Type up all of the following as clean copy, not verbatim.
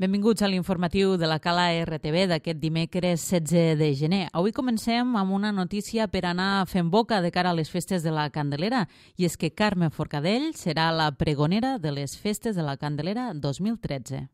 Benvinguts a l'informatiu de la Cala RTV d'aquest dimecres 16 de gener. Avui comencem amb una notícia per anar fent boca de cara a les festes de la Candelera, i és que Carme Forcadell serà la pregonera de les festes de la Candelera 2013.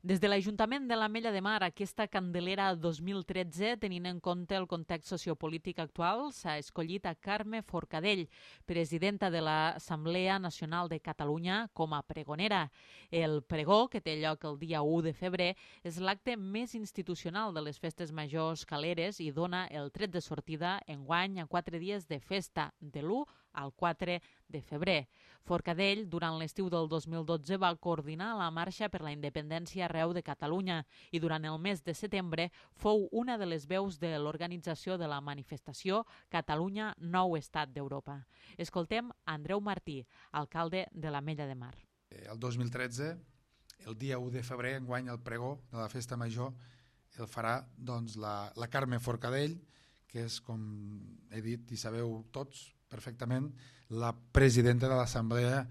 Des de l'Ajuntament de l'Ametlla de Mar, aquesta Candelera 2013, tenint en compte el context sociopolític actual, s'ha escollit a Carme Forcadell, presidenta de l'Assemblea Nacional de Catalunya, com a pregonera. El pregó, que té lloc el dia 1 de febrer, és l'acte més institucional de les festes majors caleres i dona el tret de sortida enguany a 4 dies de festa, de l'1 al 4 de febrer. Forcadell, durant l'estiu del 2012, va coordinar la marxa per la independència arreu de Catalunya i durant el mes de setembre fou una de les veus de l'organització de la manifestació Catalunya Nou Estat d'Europa. Escoltem Andreu Martí, alcalde de l'Ametlla de Mar. El 2013, el dia 1 de febrer, enguany el pregó de la festa major, el farà la Carme Forcadell, que és, com he dit i sabeu tots perfectament, la presidenta de l'Assemblea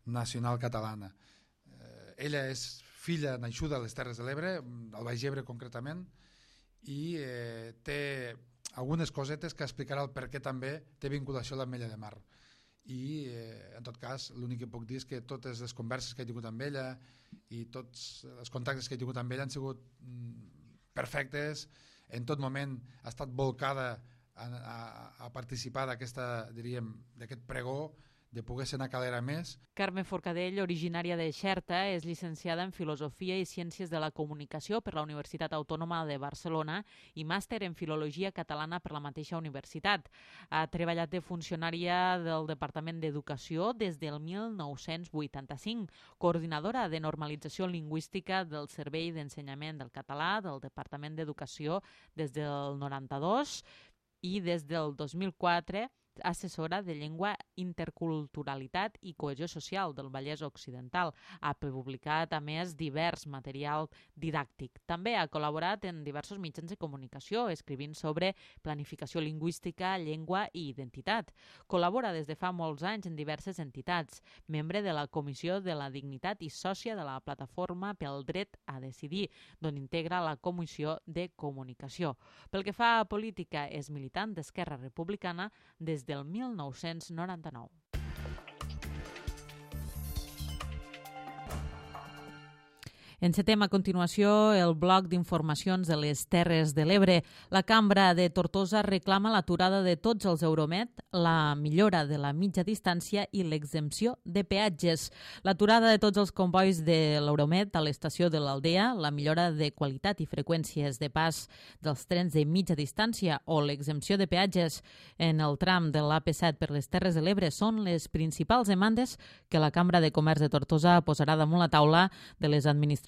Nacional Catalana. Ella és filla naixuda a les Terres de l'Ebre, al Baix Ebre concretament, i té algunes cosetes que explicarà el per què també té vinculació a l'Ametlla de Mar. I en tot cas l'únic que puc dir és que totes les converses que he tingut amb ella i tots els contactes que he tingut amb ella han sigut perfectes. En tot moment ha estat volcada a participar d'aquest pregó, de poder ser una calera més. Carme Forcadell, originària de Xerta, és llicenciada en Filosofia i Ciències de la Comunicació per la Universitat Autònoma de Barcelona i màster en Filologia Catalana per la mateixa universitat. Ha treballat de funcionària del Departament d'Educació des del 1985, coordinadora de normalització lingüística del Servei d'Ensenyament del Català del Departament d'Educació des del 92 i des del 2004 assessora de Llengua, Interculturalitat i Cohesió Social del Vallès Occidental. Ha publicat, a més, divers material didàctic. També ha col·laborat en diversos mitjans de comunicació, escrivint sobre planificació lingüística, llengua i identitat. Col·labora des de fa molts anys en diverses entitats, membre de la Comissió de la Dignitat i sòcia de la Plataforma pel Dret a Decidir, d'on integra la Comissió de Comunicació. Pel que fa a política, és militant d'Esquerra Republicana des del 1999. Encetem a continuació el bloc d'informacions de les Terres de l'Ebre. La Cambra de Tortosa reclama l'aturada de tots els Euromed, la millora de la mitja distància i l'exempció de peatges. L'aturada de tots els combois de l'Euromed a l'estació de l'Aldea, la millora de qualitat i freqüències de pas dels trens de mitja distància o l'exempció de peatges en el tram de l'AP7 per les Terres de l'Ebre són les principals demandes que la Cambra de Comerç de Tortosa posarà damunt la taula de les administracions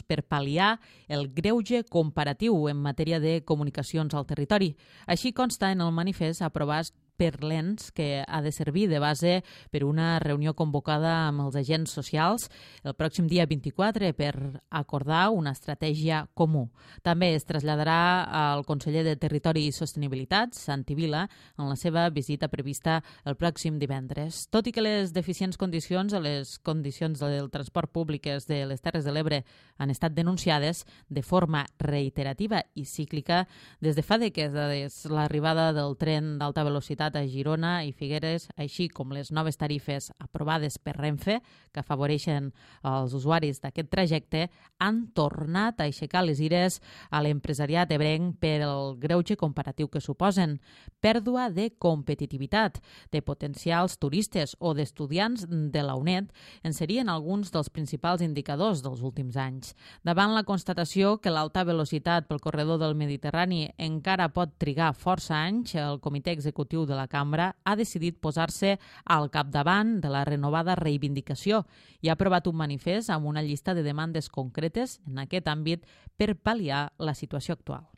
per pal·liar el greuge comparatiu en matèria de comunicacions al territori. Així consta en el manifest aprovat per l'ENS, que ha de servir de base per una reunió convocada amb els agents socials el pròxim dia 24 per acordar una estratègia comú. També es traslladarà al conseller de Territori i Sostenibilitat, Santi Vila, en la seva visita prevista el pròxim divendres. Tot i que les deficients condicions o les condicions del transport públic de les Terres de l'Ebre han estat denunciades de forma reiterativa i cíclica des de fa dècades, l'arribada del tren d'alta velocitat a Girona i Figueres, així com les noves tarifes aprovades per Renfe, que afavoreixen els usuaris d'aquest trajecte, han tornat a aixecar les ires a l'empresariat ebrenc per el greuge comparatiu que suposen. Pèrdua de competitivitat, de potencials turistes o d'estudiants de la UNED en serien alguns dels principals indicadors dels últims anys. Davant la constatació que l'alta velocitat pel corredor del Mediterrani encara pot trigar força anys, el Comitè Executiu de la Cambra ha decidit posar-se al capdavant de la renovada reivindicació i ha aprovat un manifest amb una llista de demandes concretes en aquest àmbit per pal·liar la situació actual.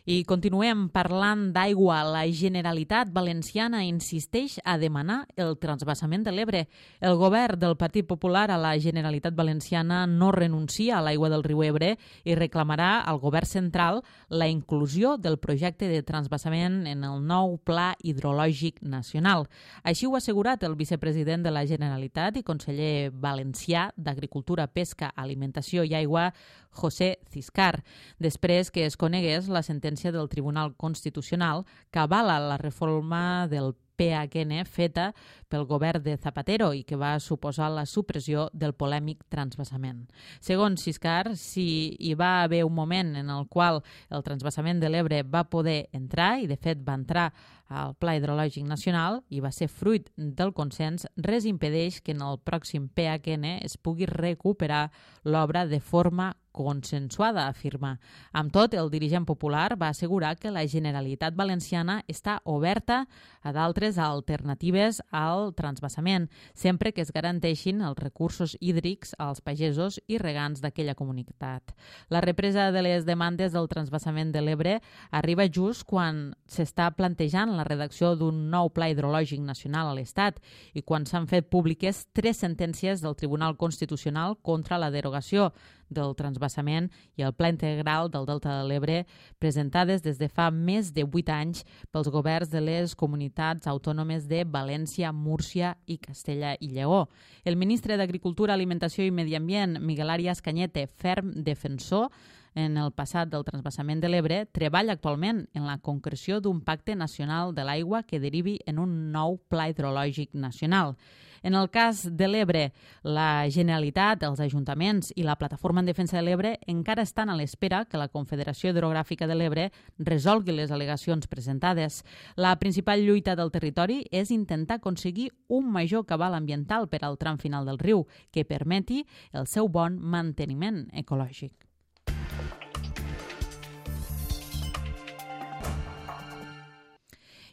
I continuem parlant d'aigua. La Generalitat Valenciana insisteix a demanar el transvasament de l'Ebre. El govern del Partit Popular a la Generalitat Valenciana no renuncia a l'aigua del riu Ebre i reclamarà al govern central la inclusió del projecte de transvasament en el nou Pla Hidrològic Nacional. Així ho ha assegurat el vicepresident de la Generalitat i conseller valencià d'Agricultura, Pesca, Alimentació i Aigua, José Ciscar, després que es conegués la sentència del Tribunal Constitucional que avala la reforma del PHN feta pel govern de Zapatero i que va suposar la supressió del polèmic transvasament. Segons Ciscar, si hi va haver un moment en el qual el transvasament de l'Ebre va poder entrar, i de fet va entrar al Pla Hidrològic Nacional i va ser fruit del consens, res impedeix que en el pròxim PHN es pugui recuperar l'obra de forma consensuada, afirma. Amb tot, el dirigent popular va assegurar que la Generalitat Valenciana està oberta a d'altres alternatives al transvasament, sempre que es garanteixin els recursos hídrics als pagesos i regants d'aquella comunitat. La represa de les demandes del transvasament de l'Ebre arriba just quan s'està plantejant la redacció d'un nou Pla Hidrològic Nacional a l'Estat i quan s'han fet públiques 3 sentències del Tribunal Constitucional contra la derogació del transvasament i el Pla Integral del Delta de l'Ebre, presentades des de fa més de 8 anys pels governs de les comunitats autònomes de València, Múrcia i Castella i Lleó. El ministre d'Agricultura, Alimentació i Medi Ambient, Miguel Arias Cañete, ferm defensor en el passat del transvasament de l'Ebre, treballa actualment en la concreció d'un pacte nacional de l'aigua que derivi en un nou Pla Hidrològic Nacional. En el cas de l'Ebre, la Generalitat, els ajuntaments i la Plataforma en Defensa de l'Ebre encara estan a l'espera que la Confederació Hidrogràfica de l'Ebre resolgui les al·legacions presentades. La principal lluita del territori és intentar aconseguir un major cabal ambiental per al tram final del riu que permeti el seu bon manteniment ecològic.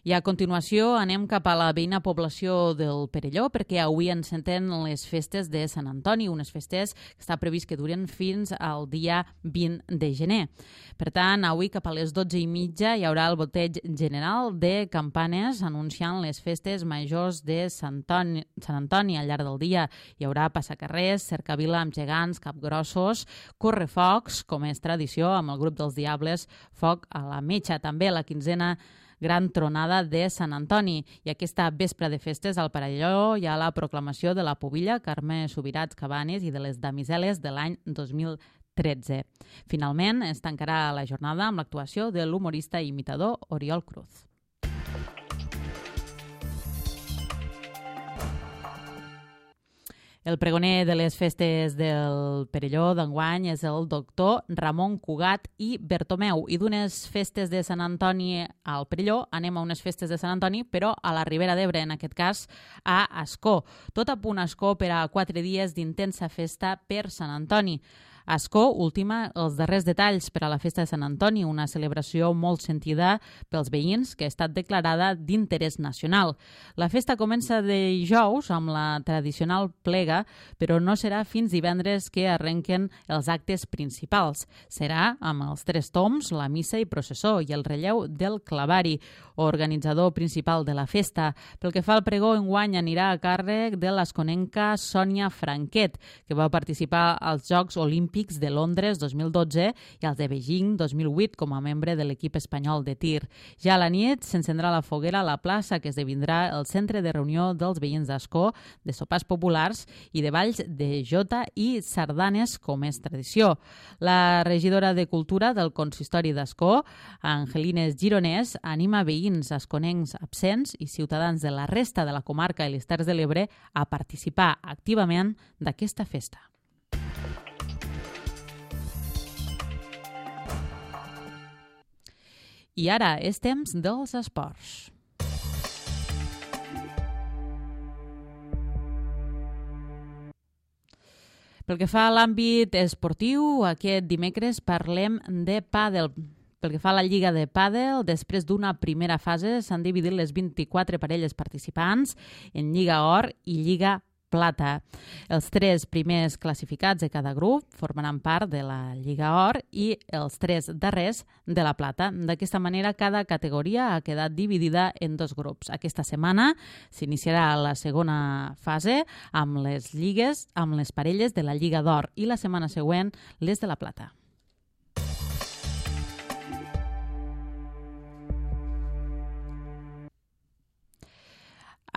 I a continuació anem cap a la veïna població del Perelló perquè avui enceten les festes de Sant Antoni, unes festes que està previst que duren fins al dia 20 de gener. Per tant, avui cap a les 12:30 hi haurà el boteig general de campanes anunciant les festes majors de Sant Antoni. Al llarg del dia hi haurà passacarrers, cercavila amb gegants, capgrossos, correfocs, com és tradició, amb el grup dels Diables, foc a la metxa. També la 15a gran tronada de Sant Antoni. I aquesta vespre de festes al Perelló hi ha la proclamació de la pubilla Carme Subirats Cabanes i de les damiseles de l'any 2013. Finalment, es tancarà la jornada amb l'actuació de l'humorista i imitador Oriol Cruz. El pregoner de les festes del Perelló d'enguany és el doctor Ramon Cugat i Bertomeu. I d'unes festes de Sant Antoni al Perelló anem a unes festes de Sant Antoni, però a la Ribera d'Ebre, en aquest cas a Ascó. Tot a punt Ascó per a 4 dies d'intensa festa per Sant Antoni. Ascó ultima els darrers detalls per a la festa de Sant Antoni, una celebració molt sentida pels veïns que ha estat declarada d'interès nacional. La festa comença dijous amb la tradicional plega, però no serà fins divendres que arrenquen els actes principals. Serà amb els 3 tombs, la missa i processó i el relleu del clavari, organitzador principal de la festa. Pel que fa al pregó, enguany anirà a càrrec de l'esconenca Sònia Franquet, que va participar als Jocs Olímpics de Londres 2012 i als de Beijing 2008 com a membre de l'equip espanyol de tir. Ja a la nit s'encendrà la foguera a la plaça, que esdevindrà el centre de reunió dels veïns d'Ascó, de sopars populars i de balls de jota i sardanes, com és tradició. La regidora de Cultura del Consistori d'Ascó, Angelines Gironès, anima veïns asconencs absents i ciutadans de la resta de la comarca i les Terres de l'Ebre a participar activament d'aquesta festa. I ara és temps dels esports. Pel que fa a l'àmbit esportiu, aquest dimecres parlem de pàdel. Pel que fa a la Lliga de Pàdel, després d'una primera fase s'han dividit les 24 parelles participants en Lliga Or i Lliga Plata. Els 3 primers classificats de cada grup formaran part de la Lliga Or i els 3 darrers de la Plata. D'aquesta manera, cada categoria ha quedat dividida en 2 grups. Aquesta setmana s'iniciarà la segona fase amb les parelles de la Lliga d'Or i la setmana següent les de la Plata.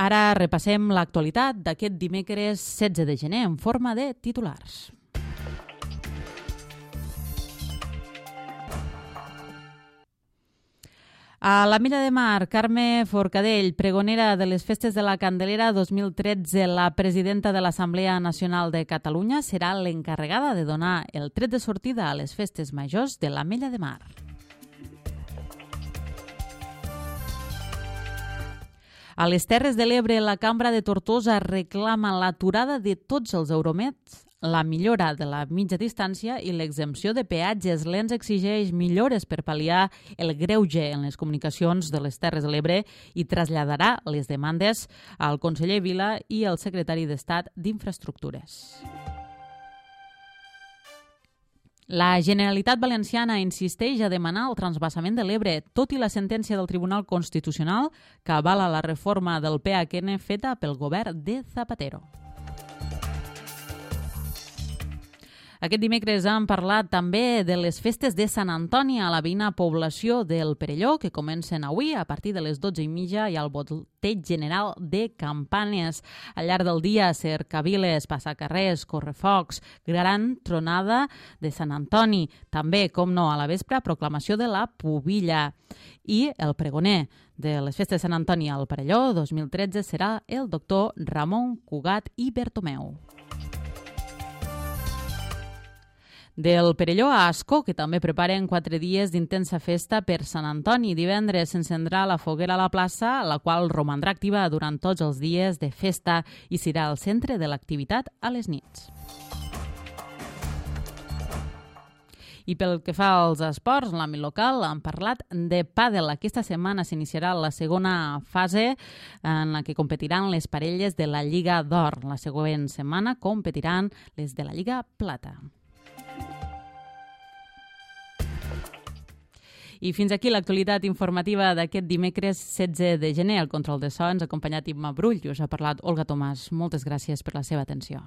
Ara repassem l'actualitat d'aquest dimecres 16 de gener en forma de titulars. A l'Ametlla de Mar, Carme Forcadell, pregonera de les Festes de la Candelera 2013, la presidenta de l'Assemblea Nacional de Catalunya, serà l'encarregada de donar el tret de sortida a les festes majors de l'Ametlla de Mar. A les Terres de l'Ebre, la Cambra de Tortosa reclama l'aturada de tots els Euromeds, la millora de la mitja distància i l'exempció de peatges. L'ENS exigeix millores per pal·liar el greuge en les comunicacions de les Terres de l'Ebre i traslladarà les demandes al conseller Vila i al secretari d'Estat d'Infraestructures. La Generalitat Valenciana insisteix a demanar el transvasament de l'Ebre, tot i la sentència del Tribunal Constitucional que avala la reforma del PHN feta pel govern de Zapatero. Aquest dimecres hem parlat també de les festes de Sant Antoni a la veïna població del Perelló, que comencen avui a partir de les 12:30 i al volteig general de campanes. Al llarg del dia, cercaviles, passacarrers, correfocs, gran tronada de Sant Antoni. També, com no, a la vespre, proclamació de la pubilla. I el pregoner de les festes de Sant Antoni al Perelló 2013 serà el doctor Ramon Cugat i Bertomeu. Del Perelló a Ascó, que també preparen 4 dies d'intensa festa per Sant Antoni. Divendres s'encendrà la foguera a la plaça, la qual romandrà activa durant tots els dies de festa i serà el centre de l'activitat a les nits. I pel que fa als esports, en l'àmbit local hem parlat de pàdel. Aquesta setmana s'iniciarà la segona fase en la que competiran les parelles de la Lliga d'Or. La següent setmana competiran les de la Lliga Plata. I fins aquí l'actualitat informativa d'aquest dimecres 16 de gener. Al control de so ens ha acompanyat Imma Brull i us ha parlat Olga Tomàs. Moltes gràcies per la seva atenció.